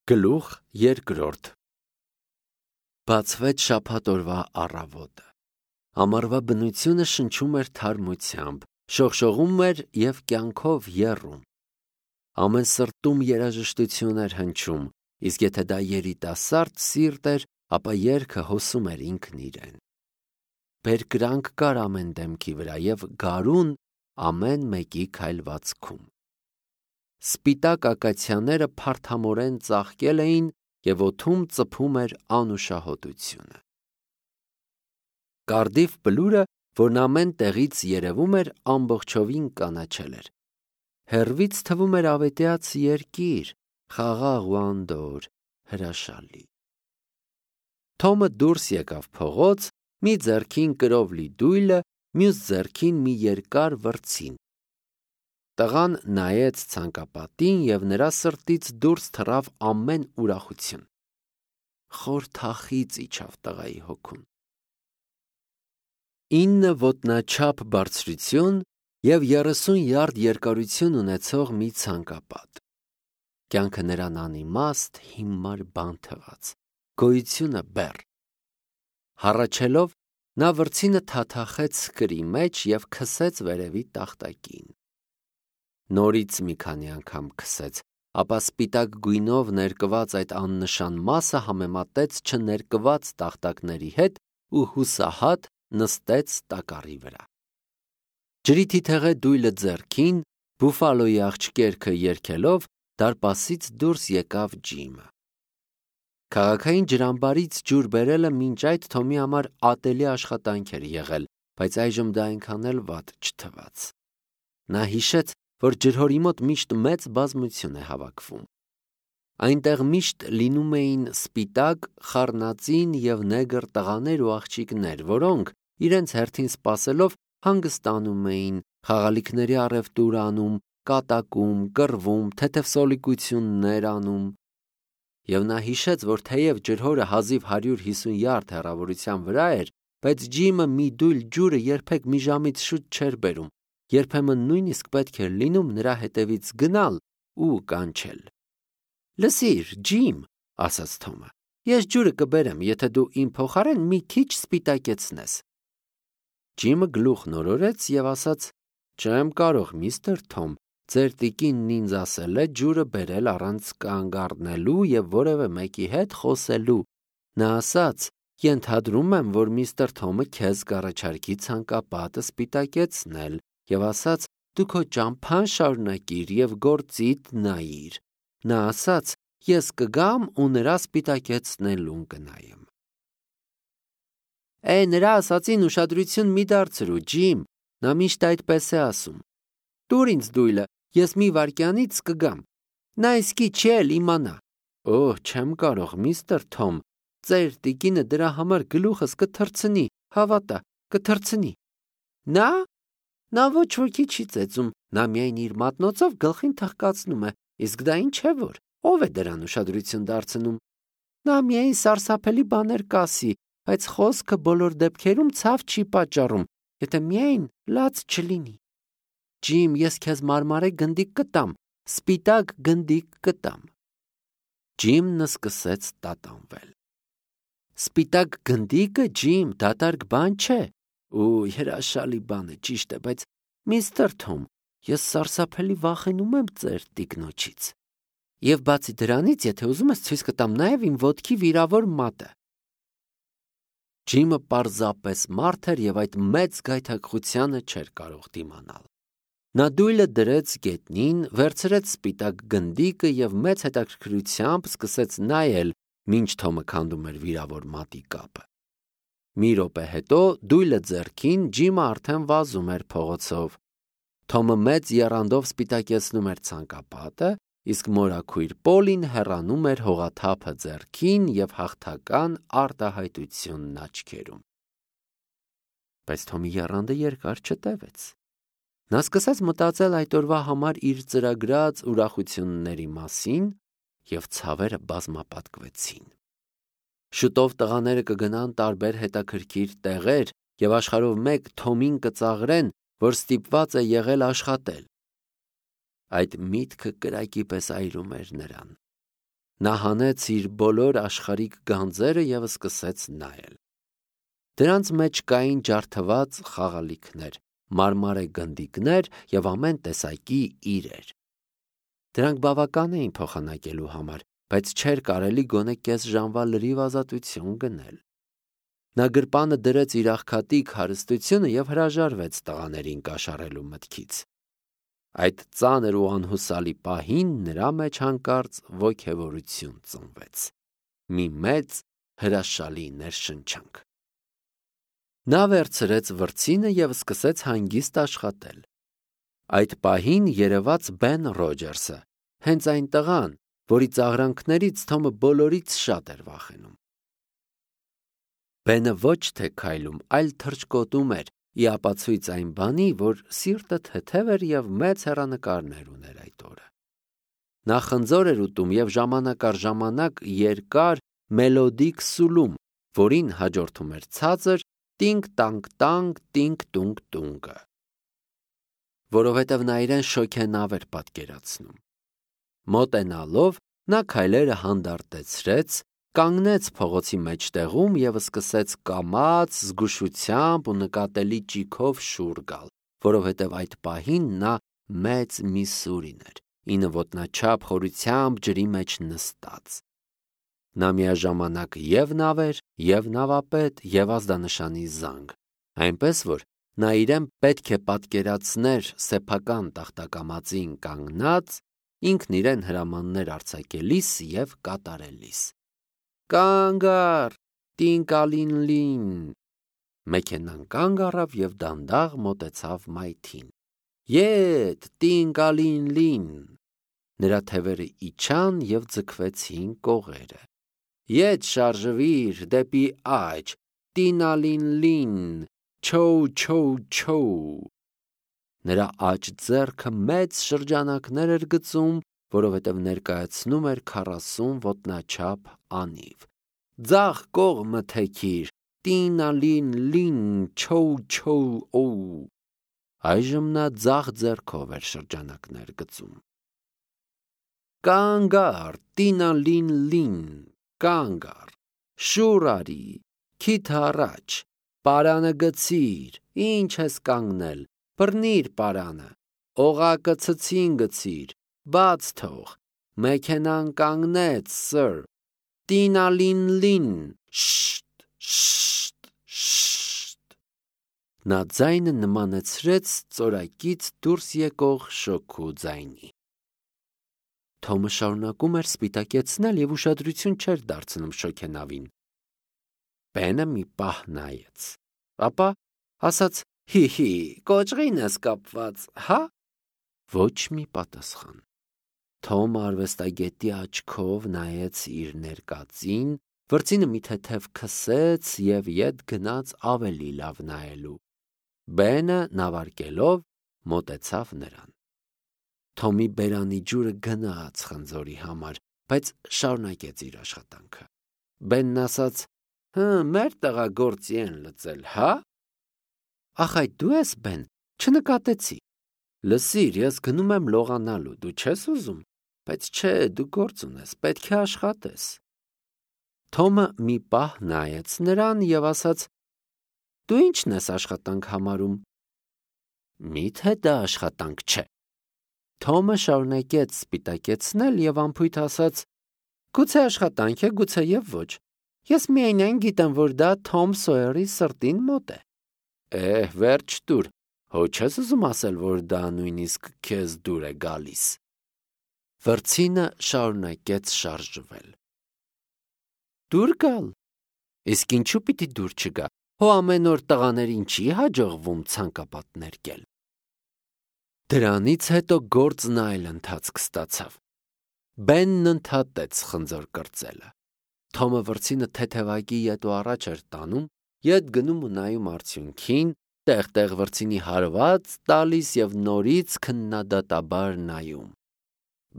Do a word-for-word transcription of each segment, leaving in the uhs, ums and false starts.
Գլուխ երկրորդ Բացվեց շաբաթ օրվա առավոտը։ Ամառվա բնությունը շնչում էր թարմությամբ, շողշողում էր և կյանքով եռում։ Ամեն սրտում երաժշտություն էր հնչում, իսկ եթե դա երիտասարդ սիրտ էր, ապա երգը հոսում էր ինքն իրեն։ Բերկրանք կար ամեն դեմքի վրա և գարուն ամեն մեկի քայլվածքում։ Սպիտակ ակացիաները փարթամորեն ծաղկել էին և օդում ծփում էր անուշահոտությունը։ Կարդիֆ բլուրը, որն ամեն տեղից երևում էր, ամբողջովին կանաչել էր։ Հեռվից թվում էր ավետյաց երկիր, խաղաղ ու անդորր, հրաշալի։ Թոմը դուրս եկավ փողոց, մի ձեռքին կրով լի դույլը, մյուս ձեռքին մի երկար վրձին։ Տղան նայեց ցանկապատին և նրա սրտից դուրս թռավ ամեն ուրախություն։ Խոր թախիծ իջավ տղայի հոգուն։ Ինը ոտնաչափ բարձրություն և երեսուն յարդ երկարություն ունեցող մի ցանկապատ։ Կյանքը նրան անիմաստ, հիմար բան թվաց, գոյությունը բեռ։ Հառաչելով, նա վրձինը թաթախեց սկրի մեջ և քսեց վերևի տախտակին։ Նորից մի քանի անգամ քսեց, ապա սպիտակ գույնով ներկված այդ աննշան մասը համեմատեց չներկված տախտակների հետ ու հուսահատ նստեց տակառի վրա։ Ջրի թիթեղե դույլը ձեռքին, բուֆալոյի աղջկերքը երգելով, դարպասից դուրս եկավ Ջիմը։ Քաղաքային ջրամբարից ջուր բերելը մինչ այդ Թոմի համար ատելի աշխատանք էր եղել, բայց այժմ դա այնքան էլ վատ չթվաց։ Նա հիշեց, որ ջրհորի մոտ միշտ մեծ բազմություն է հավաքվում։ Այնտեղ միշտ լինում էին սպիտակ, խառնածին և նեգր տղաներ ու աղջիկներ, որոնք, իրենց հերթին սպասելով, հանգստանում էին, խաղալիքների առևտուր անում, կատակում, կռվում, թեթև սոլիկություններ անում։ Եվ նա հիշեց, որ թեև ջրհորը հազիվ հարյուր հիսուն յարդ հեռավորության վրա էր, բայց Ջիմը մի դույլ ջուրը երբեք մի ժամից շուտ չէր բերում, երբեմն նույնիսկ պետք էր լինում նրա հետևից գնալ ու կանչել։ «Լսիր, Ջիմ», ասաց Թոմը, «ես ջուրը կբերեմ, եթե դու իմ փոխարեն մի քիչ սպիտակեցնես»։ Ջիմը գլուխ նորորեց և ասաց. «Չեմ կարող, միստր Թոմ, ձեր տիկինն ինձ ասել է ջուրը բերել առանց կանգ առնելու և որևէ մեկի հետ խոսելու։ Նա ասաց. ենթադրում եմ, որ միստր Թոմը քեզ կառաջարկի ցանկապատը սպիտակեցնել և ասաց. դու քո ճամփան շարունակիր և գործիդ նայիր։ Նա ասաց. ես կգամ ու նրա սպիտակեցնելուն կնայեմ»։ Է, նրա ասածին ուշադրություն մի դարձրու, Ջիմ, նա միշտ այդպես է ասում։ Տուր ինձ դույլը, ես մի վայրկյանից կգամ։ Նա իսկի չի էլ իմանա։ Օհ, չեմ կարող, միստր Թոմ, ձեր տիկինը դրա համար գլուխս կթռցնի, հավատա, կթռցնի։ Նա… Նա ոչ ոքի չի ծեծում, նա միայն իր մատնոցով գլխին թխկացնում է, իսկ դա ինչ է որ, ով է դրան ուշադրություն դարձնում։ Նա միայն սարսափելի բաներ կասի, բայց խոսքը բոլոր դեպքերում ցավ չի պատճառում, եթե միայն լաց չլինի։ Ջիմ, ես քեզ մարմարե գնդիկ կտամ, սպիտակ գնդիկ կտամ։ Ջիմն սկսեց տատանվել։ Սպիտակ գնդիկը, Ջիմ, դատարկ բան չէ։ Ու հրաշալի բան է, ճիշտ է, բայց միստր Թոմ, ես սարսափելի վախենում եմ ձեր տիկնոջից։ Եվ բացի դրանից, եթե ուզում ես, ցույց կտամ նաև իմ ոտքի վիրավոր մատը։ Ջիմը պարզապես մարդ էր և այդ մեծ գայթակղությանը չէր կարող դիմանալ։ Նա դույլը դրեց գետնին, վերցրեց սպիտակ գնդիկը և մեծ հետաքրքրությամբ սկսեց նայել, մինչ Թոմը քանդում էր վիրավոր մատի կապը։ Մի րոպե հետո, դույլը ձեռքին, Ջիմը արդեն վազում էր փողոցով։ Թոմը մեծ եռանդով սպիտակեցնում էր ցանկապատը, իսկ մորաքույր Պոլին հեռանում էր հողաթափը ձեռքին և հաղթական արտահայտությունն աչքերում։ Բայց Թոմի եռանդը երկար չտևեց։ Նա սկսեց մտածել այդ օրվա համար իր ծրագրած ուրախությունների մասին, և ցավերը բազմապատկվեցին։ Շուտով տղաները կգնան տարբեր հետաքրքիր տեղեր և աշխարհով մեկ Թոմին կծաղրեն, որ ստիպված է եղել աշխատել։ Այդ միտքը կրակի պես այրում էր նրան։ Նա հանեց իր բոլոր աշխարհիկ գանձերը և սկսեց նայել։ Դրանց մեջ կային ջարդված խաղալիքներ, մարմարե գնդիկներ և ամեն տեսակի իրեր։ Դրանք բավական էին փոխանակելու համար, բայց չէր կարելի գոնե կես ժամվա լրիվ ազատություն գնել։ Նա գրպանը դրեց իր աղքատիկ հարստությունը և հրաժարվեց տղաներին կաշառելու մտքից։ Այդ ծանր ու անհուսալի պահին նրա մեջ հանկարծ ոգևորություն ծնվեց, մի մեծ հրաշալի ներշնչանք։ Նա վերցրեց վրձինը և սկսեց հանգիստ աշխատել։ Այդ պահին երևաց Բեն Ռոջերսը, հենց այն տղան, որի ծաղրանքներից Թոմը բոլորից շատ էր վախենում։ Բենը ոչ թե քայլում, այլ թռչկոտում էր, ի ապացույց այն բանի, որ սիրտը թեթև էր և մեծ հեռանկարներ ուներ այդ օրը։ Նա խնձոր էր ուտում և ժամանակ առ ժամանակ երկար մելոդիկ սուլում, որին հաջորդում էր ցածր տինգ-տանգ-տանգ, տինգ-տունգ-տունգը, որովհետև նա իրեն շոգենավ էր պատկերացնում։ Մոտենալով նա քայլերը հանդարտեցրեց, կանգնեց փողոցի մեջտեղում և սկսեց կամաց, զգուշությամբ ու նկատելի ճիգով շուռ գալ, որովհետև այդ պահին նա մեծ մի սուրին էր, ինը ոտնաչափ խորությամբ ջրի մեջ նստած։ Նա միաժամանակ և նավ էր, և նավապետ, և ազդանշանի զանգ, այնպես որ նա իրեն պետք է պատկերացներ սեփական տախտակամածին կանգնած, ինքն իրեն հրամաններ արձակելիս և կատարելիս։ «Կանգ առ, տինկալինլին»։ Մեքենան կանգ առավ և դանդաղ մոտեցավ մայթին։ «Ետ, տինկալինլին»։ Նրա թևերը իջան և ձգվեցին կողերը։ «Ետ շարժվիր, դեպի աջ, տինալինլին, չոու-չոու-չոու»։ Նրա աջ ձեռքը մեծ շրջանակներ էր գծում, որովհետև ներկայացնում էր քառասուն ոտնաչափ անիվ։ «Ձախ կողմը թեքիր, տինալինլին, չոու-չոու-օու»։ Այժմ նա ձախ ձեռքով էր շրջանակներ գծում։ «Կանգ առ, տինալինլին, կանգ առ, շուռ արի, քիթ առաջ, պարանը գցիր, ինչ ես կանգնել, բռնիր պարանը, օղակը ցցին գցիր, բաց թող, մեքենան կանգնեց, սըր, տինալինլին, շշտ, շշտ, շշտ»։ Նա ձայնը նմանեցրեց ծորակից դուրս եկող շոգու ձայնի։ Թոմը շարունակում էր սպիտակեցնել և ուշադրություն չէր դարձնում շոգենավին։ Բենը մի պահ նայեց, ապա ասաց. «Հի՛, կոճղին ես կապված, հա»։ Ոչ մի պատասխան։ Թոմը արվեստագետի աչքով նայեց իր ներկածին, վրձինը մի թեթև քսեց և ետ գնաց ավելի լավ նայելու։ Բենը նավարկելով մոտեցավ նրան։ Թոմի բերանի ջուրը գնաց խնձորի համար, բայց շարունակեց իր աշխատանքը։ Բենն ասաց. «Հը, մեր տղա գործի են լծել, հա»։ «Ախ, այդ դու ես, Բեն, չնկատեցի»։ «Լսիր, ես գնում եմ լողանալու, դու չես ուզում, բայց չէ, դու գործ ունես, պետք է աշխատես»։ Թոմը մի պահ նայեց նրան և ասաց. «Դու ի՞նչն ես աշխատանք համարում»։ «Մի՞թե դա աշխատանք չէ»։ Թոմը շարունակեց սպիտակեցնել և անփույթ ասաց. «Գուցե աշխատանք է, գուցե և ոչ։ Ես միայն գիտեմ, որ դա Թոմ Սոյերի սրտին մոտ է»։ «Էհ, վերջ տուր, հո չես ուզում ասել, որ դա նույնիսկ քեզ դուր է գալիս»։ Վրձինը շարունակեց շարժվել։ «Դուր գալ։ Իսկ ինչու պիտի դուր չգա, հո ամեն օր տղաներին չի հաջողվում ցանկապատ ներկել»։ Դրանից հետո գործն այլ ընթացք ստացավ։ Բենն ընդհատեց խնձոր կրծելը։ Թոմը վրձինը թեթևակի ետո առաջ էր տանում, ետ գնում ու նայում արդյունքին, տեղ-տեղ վրձինի հարված տալիս և նորից քննադատաբար նայում։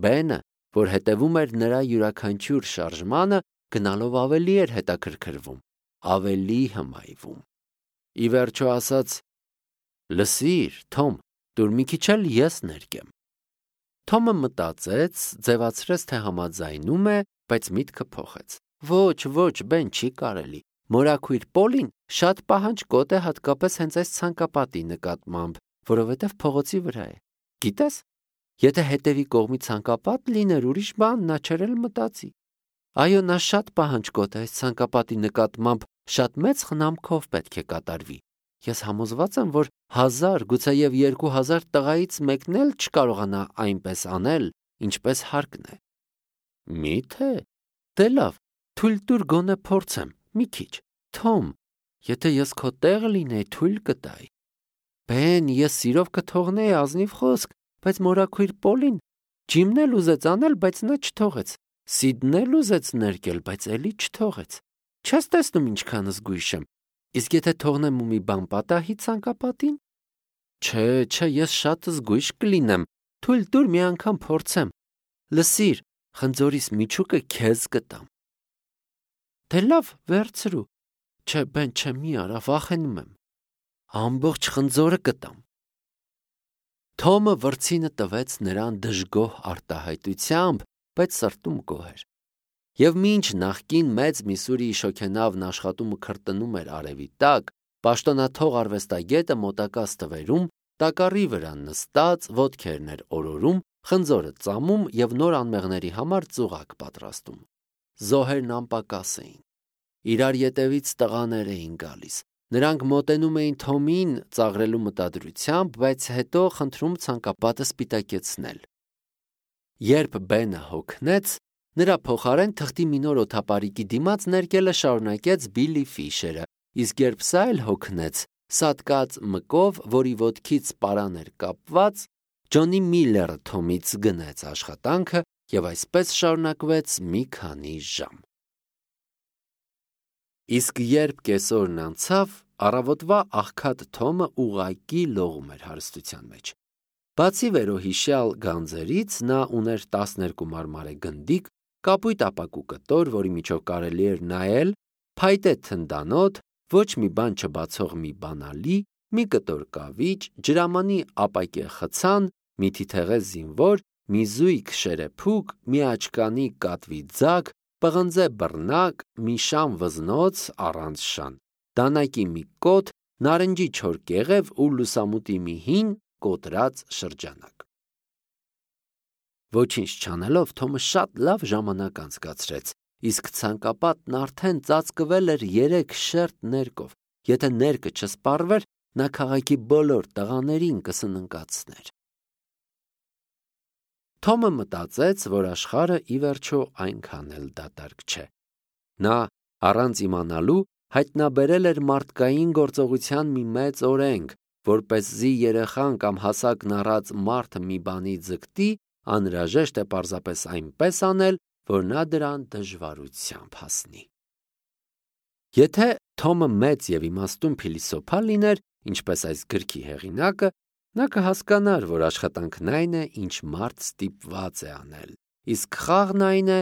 Բենը, որ հետևում էր նրա յուրաքանչյուր շարժմանը, գնալով ավելի էր հետաքրքրվում, ավելի հմայվում։ Ի վերջո ասաց. «Լսիր, Թոմ, տուր մի քիչ էլ ես ներկեմ»։ Թոմը մտածեց, ձևացրեց, թե համաձայնում է, բայց միտքը փոխեց։ Ոչ, ոչ, Բեն, չի կարելի։ Մորաքույր Պոլին շատ պահանջկոտ է հատկապես հենց այս ցանկապատի նկատմամբ, որովհետև փողոցի վրա է։ Գիտես, եթե հետևի կողմի ցանկապատ լիներ, ուրիշ բան նա չէր էլ մտածի։ Այո, նա շատ պահանջկոտ է այս ցանկապատի նկատմամբ, շատ մեծ խնամքով պետք է կատարվի։ Ես համոզված եմ, որ հազար, գուցեև երկու հազար տղայից մեկն էլ չկարողանա այնպես անել, ինչպես հարկն է։ Մի՞թե։ Դե լավ, թույլ տուր գոնե փորձեմ, մի քիչ։ Թոմ, եթե ես քո տեղը լինեի, թույլ կտայի։ Բեն, ես սիրով կթողնեի, ազնիվ խոսք, բայց մորաքույր Պոլին Ջիմն էլ ուզեց անել, բայց նա չթողեց։ Սիդն էլ ուզեց ներկել, բայց էլի չթողեց։ Չես տեսնում ինչքան զգույշ եմ։ Իսկ եթե թողնեմ ու մի բան պատահի ցանկապատին։ Չէ, չէ, ես շատ զգույշ կլինեմ։ Թույլ տուր մի անգամ փորձեմ։ Լսիր, խնձորիս միջուկը քեզ կտամ։ Դե լավ, վերցրու։ Չէ, Բեն, չէ, մի արա, վախենում եմ։ Ամբողջ խնձորը կտամ։ Թոմը վրձինը տվեց նրան դժգոհ արտահայտությամբ, բայց սրտում գոհ էր։ Եվ մինչ նախկին մեծ Միսուրիի շոգենավն աշխատումը քրտնում էր արևի տակ, պաշտոնաթող արվեստագետը մոտակա ստվերում, տակառի վրա նստած, ոտքերն էր օրորում, խնձորը ծամում և նոր անմեղների համար ծուղակ պատրաստում։ Զոհերն անպակաս էին։ Իրար ետևից տղաներ էին գալիս։ Նրանք մոտենում էին Թոմին ծաղրելու մտադրությամբ, բայց հետո խնդրում ցանկապատը սպիտակեցնել։ Երբ Բենը հոգնեց, նրա փոխարեն թղթի մի նոր օդապարիկի դիմաց ներկելը շարունակեց Բիլլի Ֆիշերը, իսկ երբ սա էլ հոգնեց, սատկած մկով, որի ոտքից պարան էր կապված, Ջոնի Միլլերը Թոմից գնեց աշխատանքը և այսպես շարունակվեց մի քանի ժամ։ Իսկ երբ կեսօրն անցավ, առավոտվա աղքատ Թոմը ուղղակի լողում էր հարստության մեջ։ Բացի վերոհիշյալ գանձերից, նա ուներ տասներկու մարմարե գնդիկ, կապույտ ապակու կտոր, որի միջով կարելի էր նայել, փայտե թնդանոթ, ոչ մի բան չբացող մի բանալի, մի կտոր կավիճ, ջրամանի ապակե խցան, մի թիթեղե զինվոր, մի զույգ շերեփուկ, մի աչկանի կատվի ձագ, պղնձե բռնակ, մի շան վզնոց առանց շան, դանակի մի կոթ, նարնջի չոր կեղև ու լուսամուտի մի հին կոտրած շրջանակ։ Ոչինչ չանելով, Թոմը շատ լավ ժամանակ անցկացրեց, իսկ ցանկապատն արդեն ծածկվել էր երեք շերտ ներկով։ Եթե ներկը չսպառվեր, նա քաղաքի բոլոր տղաներին կսննկացներ։ Թոմը մտածեց, որ աշխարհը ի վերջո այնքան էլ դատարկ չէ։ Նա, առանց իմանալու, հայտնաբերել էր մարդկային գործողության մի մեծ օրենք, որպեսզի երեխան կամ հասակն առած մարդը մի բանի ձգտի, անհրաժեշտ է պարզապես այնպես անել, որ նա դրան դժվարությամբ հասնի։ Եթե Թոմը մեծ և իմաստուն փիլիսոփա լիներ, ինչպես այս գրքի հեղինակը, նա կհասկանար, որ աշխատանքն այն է, ինչ մարդ ստիպված է անել, իսկ խաղն այն է,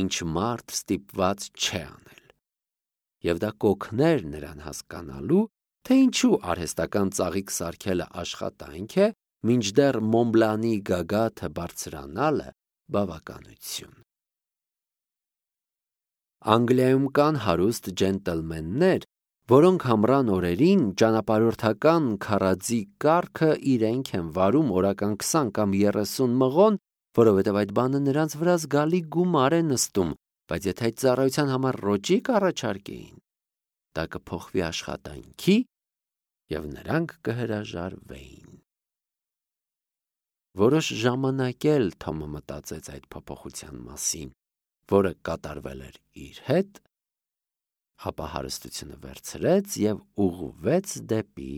ինչ մարդ ստիպված չէ անել։ Եվ դա կօգներ նրան հասկանալու, թե ինչու արհեստական ծաղիկ սարքելը աշխատանք է, մինչդեռ Մոնբլանի գագաթը բարձրանալը բավականություն։ Անգլիայում կան հարուստ ջենտլմեններ, որոնք ամռան օրերին ճանապարհորդական քարաձի կառքը իրենք են վարում օրական քսան կամ երեսուն մղոն, որովհետև այդ բանը նրանց վրա զգալի գումար է նստում, բայց եթե այդ ծառայության համար ռոճիկ առաջարկեին, դա կփոխվի աշխատանքի և նրանք կհրաժարվեին։ Որոշ ժամանակ էլ Թոմը մտածեց այդ փոփոխության մասին, որը կատարվել էր իր հետ, ապա հարստությունը վերցրեց և ուղղվեց դեպի